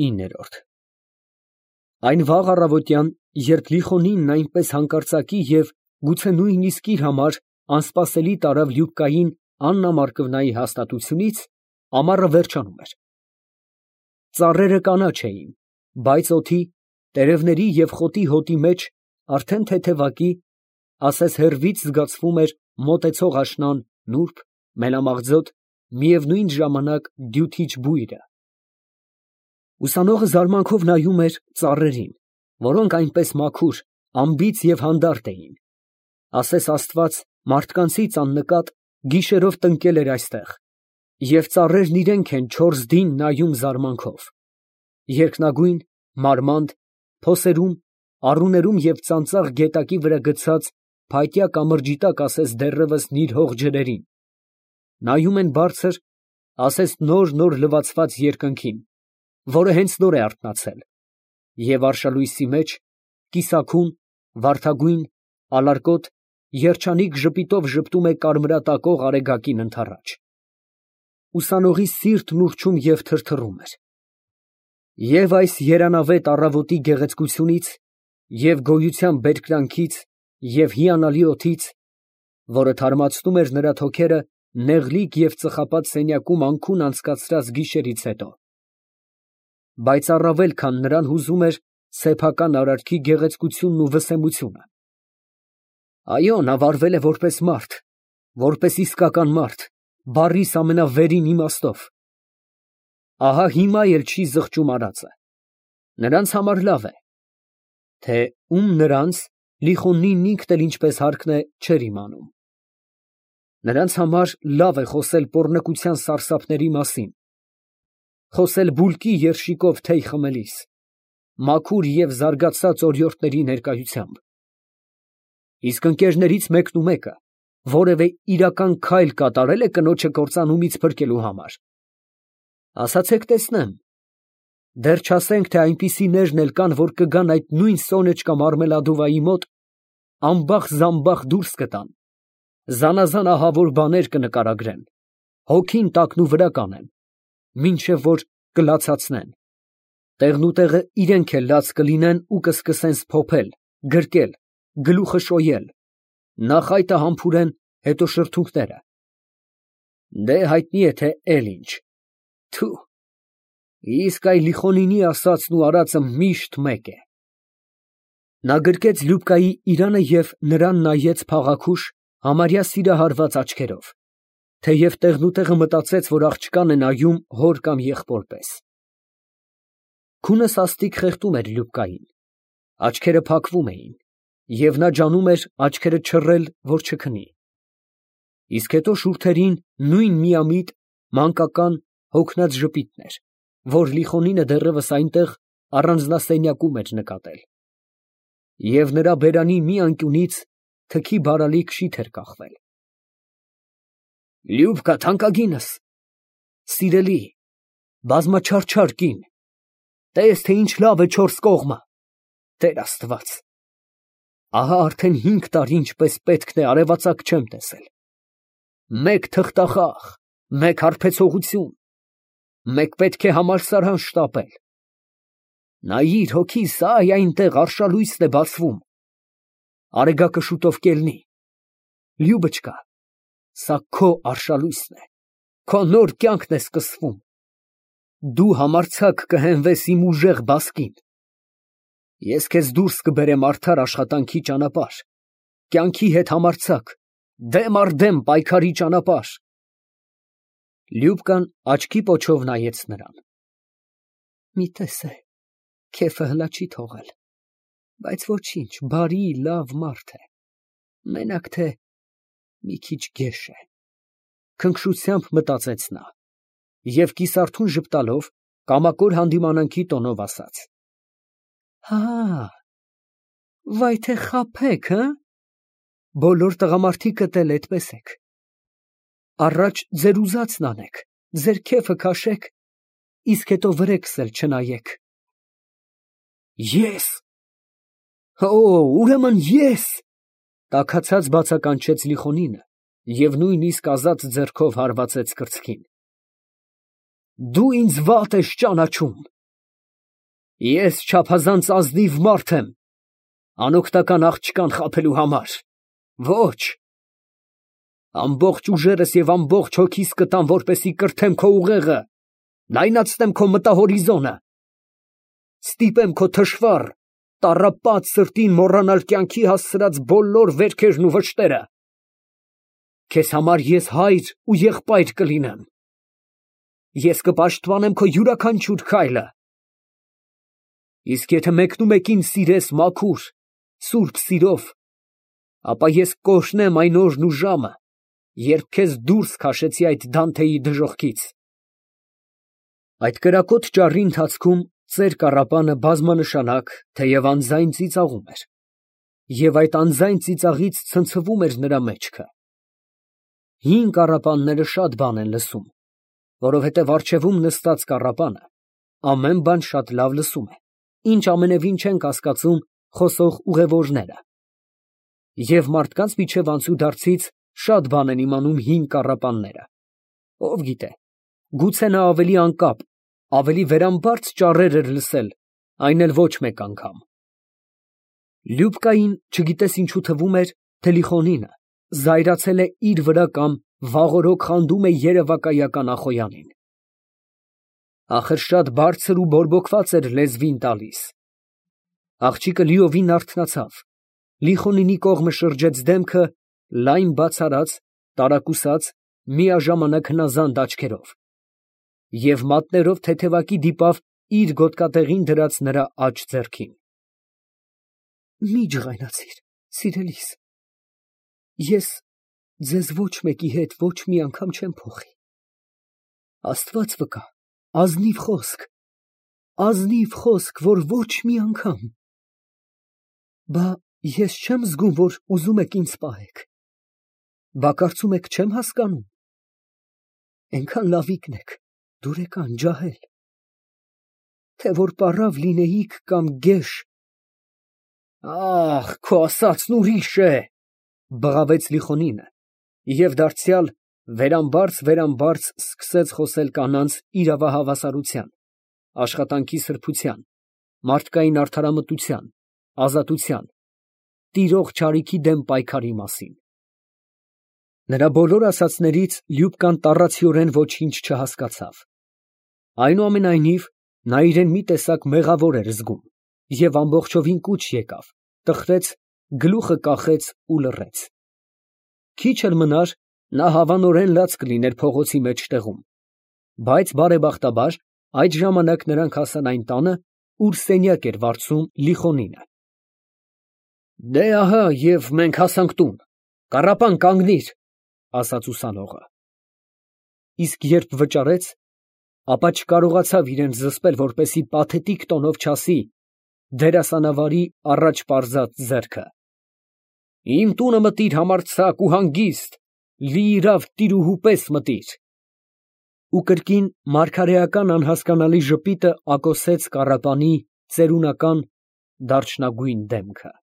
9։ Այն վաղ առավոտյան, երբ Լիխոնինն այնպես հանկարծակի և գուցե նույնիսկ իր համար անսպասելի տարավ Լյուբկային Աննա Մարկվնայի հաստատությունից, ամառը վերջանում էր։ Ծառերը կանաչ էին, բայց օդի, տերևների և խոտի հոտի մեջ արդեն թեթևակի, ասես հեռվից զգացվում էր մոտեցող աշնան նուրբ, մելամաղձոտ, միևնույն ժամանակ դյութիչ բույրը։ Ուսանողը զարմանքով նայում էր ծառերին, որոնք այնպես մաքուր, անբիծ և հանդարտ էին, ասես Աստված մարդկանցից աննկատ գիշերով տնկել էր այստեղ, և ծառերն իրենք են չորս դին նայում զարմանքով, երկնագույն, մարմանդ, փոսերում, առուներում և ծանծաղ գետակի վրա գցած փայտյա կամրջի տակ ասես դեռևս նիրհող ջրերին, նայում են բարձր, ասես նոր լվացված երկնքին, որը հենց նոր է արթնացել, և արշալույսի մեջ, կիսաքուն, վարդագույն, ալարկոտ, երջանիկ ժպիտով ժպտում է կարմրատակող արեգակին ընդառաջ։ Ուսանողի սիրտն ուռչում և թրթռում էր։ Եվ այս երանավետ առավոտի գեղեցկությունից, և գոյության բերկրանքից, և հիանալի օդից, որը թարմացնում էր նրա թոքերը նեղլիկ և ծխապատ սենյակում անքուն անցկացրած գիշերից հետո, բայց առավել քան նրան հուզում էր սեփական արարքի գեղեցկությունն ու վսեմությունը։ Այո, նա վարվել է որպես մարդ, որպես իսկական մարդ, բառիս ամենավերին իմաստով։ Ահա հիմա էլ չի զղջում արածը։ Նրանց համար լավ է, թե ում նրանց Լիխոնինն ինքն էլ ինչպես հարկն է չէր իմանում։ Նրանց համար լավ է խոսել պոռնկության սարսափների մասին, խոսել բուլկի երշիկով թեյ խմելիս, մաքուր և զարգացած օրիորդների ներկայությամբ։ Իսկ ընկերներից մեկնումեկը որևէ իրական քայլ կատարել է կնոջը կործանումից փրկելու համար։ Ասացեք տեսնեմ։ Դեռ չասենք, թե այնպիսիներն էլ կան, որ կգան այդ նույն սոնեչկա մարմելադովայի մոտ, ամբախ֊զամբախ դուրս կտան, զանազան ահավոր բաներ կնկարագրեն, հոգին տակնուվրա կանեն, մինչև որ կլացացնեն, տեղնուտեղը իրենք էլ լաց կլինեն ու կսկսեն սփոփել, գրկել, գլուխը շոյել, նախ այտը համբուրեն, հետո շրթունքները։ Դե հայտնի է, թե էլ ինչ։ Թու, իսկ այ Լիխոնինի ասածն ու արածը միշտ մեկ է։ Նա գրկեց Լյուբկայի իրանը և նրան նայեց փաղաքուշ, համարյա սիրահարված աչքերով, թեև տեղնուտեղը մտածեց, որ աղջկան է նայում հոր կամ եղբոր պես։ Քունը սաստիկ խեղդում էր Լյուբկային, աչքերը փակվում էին, և նա ջանում էր աչքերը չռել, որ չքնի։ Իսկ հետո շուրթերին նույն միամիտ, մանկական, հոգնած ժպիտն էր, որ Լիխոնինը դեռևս այնտեղ առանձնասենյակում էր նկատել, և նրա բերանի մի անկյունից թքի բարալիկ շիթ էր կախվել։ Լյուբկա, թանկագինս, սիրելի, բազմաչարչար կին, տես, թե ինչ լավ է չորս կողմը, Տեր Աստված, ահա արդեն 5 տարի ինչպես պետք է արևածագ չեմ տեսել, մեկ թղթախաղ, մեկ հարբեցողություն, մեկ պետք է համալսարան շտապել, նայիր հոգիս, այ այնտեղ արշալույսն է բացվում, արեգակը շուտով կելնի, Լյուբճկա, սա քո արշալույսն է, քո նոր կյանքն է սկսվում, դու համարձակ կհենվես իմ ուժեղ բասկին, ես քեզ դուրս կբերեմ արդար աշխատանքի ճանապարհ, կյանքի հետ համարձակ, դեմ առ դեմ պայքարի ճանապարհ։ Լյուբկան աչքի պոչով նայեց նրան։ Մի տեսե, քեֆը հլա չի թողել, բայց ոչինչ, բարի, լավ մարդ է, մենակ թե մի քիչ գեշ է, քնքշությամբ մտածեց նա, և կիսարթուն ժպտալով կամակոր հանդիմանանքի տոնով ասաց. Հա, վայ թե խաբեք, հը, բոլոր տղամարդիկդ էլ էդպես եք, առաջ ձեր ուզածն անեք, ձեր քեֆը քաշեք, իսկ հետո վրեքս էլ չնայեք։ Ես, ուրեմն ես, տաքացած բացականչեց Լիխոնինը և նույնիսկ ազատ ձեռքով հարվածեց կրծքին։ Դու ինձ վատ ես ճանաչում, Ես չափազանց ազնիվ մարդ եմ, անօգնական աղջկան խաբելու համար։ Ոչ, ամբողջ ուժերս և ամբողջ հոգիս կտամ, որպեսզի կրթեմ քո ուղեղը, լայնացնեմ քո մտահորիզոնը, ստիպեմ քո թշվառ, տառապած սրտին մոռանալ կյանքի հասցրած բոլոր վերքերն ու վշտերը։ Քեզ համար ես հայր ու եղբայր կլինեմ։ Ես կպաշտպանեմ քո յուրաքանչյուր քայլը։ Իսկ եթե մեկնումեկին սիրես մաքուր, սուրբ սիրով, ապա ես կօրհնեմ այն օրն ու ժամը, երբ քեզ դուրս քաշեցի այդ Դանթեի դժոխքից։ Այդ կրակոտ ճառի ընթացքում ծեր կառապանը բազմանշանակ, թեև անձայն ծիծաղում էր, և այդ անձայն ծիծաղից ցնցվում էր նրա մեջքը։ Հին կառապանները շատ բան են լսում, որովհետև առջևում նստած կառապանը ամեն բան շատ լավ լսում է, ինչ ամենևին չեն կասկածում խոսող ուղևորները։ Եվ մարդկանց միջև անցուդարձից շատ բան են իմանում հին կառապանները։ Ով գիտե, գուցե նա ավելի անկապ, ավելի վերամբարձ ճառեր էր լսել, այն էլ ոչ մեկ անգամ։ Լյուբկային չգիտես ինչու թվում էր, թե Լիխոնինը զայրացել է իր վրա կամ վաղօրոք խանդում է երևակայական Ախոյանին։ Ախր շատ բարձր ու բորբոքված էր լեզվին տալիս։ Աղջիկը լիովին արթնացավ, Լիխոնինի կողմը շրջեց դեմքը լայն բաց արած, տարակուսած, միաժամանակ հնազանդ աչքերով և մատներով թեթևակի դիպավ իր գոտկատեղին դրած նրա աջ ձեռքին։ Մի ջղայնացիր, սիրելիս, ես ձեզ ոչ մեկի հետ ոչ մի անգամ չեմ փոխի։ Աստված վկա, ազնիվ խոսք, որ ոչ մի անգամ։ Բա ես չեմ զգում, որ ուզում եք ինձ պահեք։ Բա կարծում եք չեմ հասկանում։ Էնքան լավիկն եք, դուրեկան, ջահել։ Թե որ պառավ լինեիք կամ գեշ։ Ախ, քո ասածն ուրիշ է, բղավեց Լիխոնինը և դարձյալ վերամբարձ սկսեց խոսել կանանց իրավահավասարության, աշխատանքի սրբության, մարդկային արդարամտության, ազատության, տիրող չարիքի դեմ պայքարի մասին։ Նրա բոլոր ասածներից Լյուբկան տառացիորեն ոչինչ չհասկացավ։ Այնուամենայնիվ, նա իրեն մի տեսակ մեղավոր էր զգում և ամբողջովին կուչ եկավ, տխրեց, գլուխը կախեց ու լռեց։ Քիչ էլ մնար, նա հավանորեն լաց կլիներ փողոցի մեջտեղում, բայց բարեբախտաբար այդ ժամանակ նրանք հասան այն տանը, ուր սենյակ էր վարձում Լիխոնինը։ Դե ահա և մենք հասանք տուն, կառապան, կանգնիր, ասաց ուսանողը։ Իսկ երբ վճարեց, ապա չկարողացավ իրեն զսպել, որպեսզի պաթետիկ տոնով չասի դերասանավարի առաջ պարզած ձեռքը. Իմ տունը մտիր համարձակ ու հանգիստ, լիիրավ տիրուհու պես մտիր։ Ու կրկին մարգարեական անհասկանալի ժպիտը ակոսեց կառապանի ծերունական դարչնագույն դեմքը։